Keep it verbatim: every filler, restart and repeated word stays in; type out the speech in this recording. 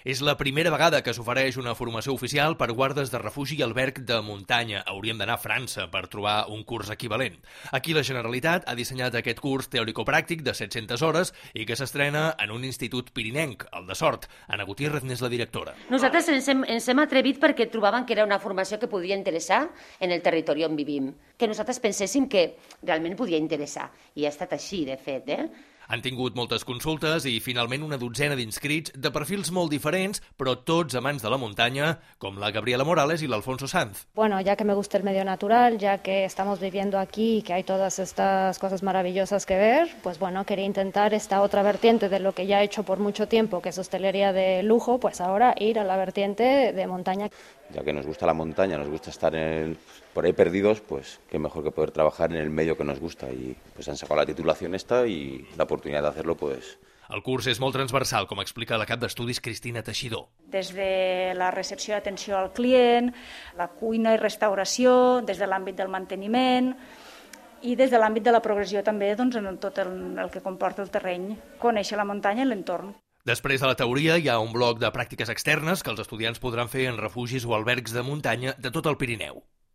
És la primera vegada que s'ofereix una formació oficial per guardes de refugi i alberg de muntanya. Hauríem d'anar a França per trobar un curs equivalent. Aquí la Generalitat ha dissenyat aquest curs teòrico-pràctic de set-centes hores i que s'estrena en un institut pirinenc, el de Sort. Anna Gutiérrez n'és la directora. Nosaltres ens hem, ens hem atrevit perquè trobàvem que era una formació que podia interessar en el territori on vivim, que nosaltres penséssim que realment podia interessar. I ha estat així, de fet, eh? Han tingut moltes consultes i finalment una dotzena d'inscrits de perfils molt diferents, però tots amants de la muntanya, com la Gabriela Morales i l'Alfonso Sanz. Bueno, ya que me gusta el medio natural, ya que estamos viviendo aquí y que hay todas estas cosas maravillosas que ver, pues bueno, quería intentar esta otra vertiente de lo que ya he hecho por mucho tiempo, que es hostelería de lujo, pues ahora ir a la vertiente de montaña. Ya que nos gusta la montaña, nos gusta estar en el, por ahí perdidos, pues qué mejor que poder trabajar en el medio que nos gusta. Y pues han sacado la titulación esta y la oportunidad de hacerlo, pues... El curs és molt transversal, com explica la cap d'estudis Cristina Teixidor. Des de la recepció i atenció al client, la cuina i restauració, des de l'àmbit del manteniment i des de l'àmbit de la progressió també doncs, en tot el, el que comporta el terreny, conèixer la muntanya i l'entorn. Després de la teoria hi ha un bloc de pràctiques externes que els estudiants podran fer en refugis o albergs de muntanya de tot el Pirineu.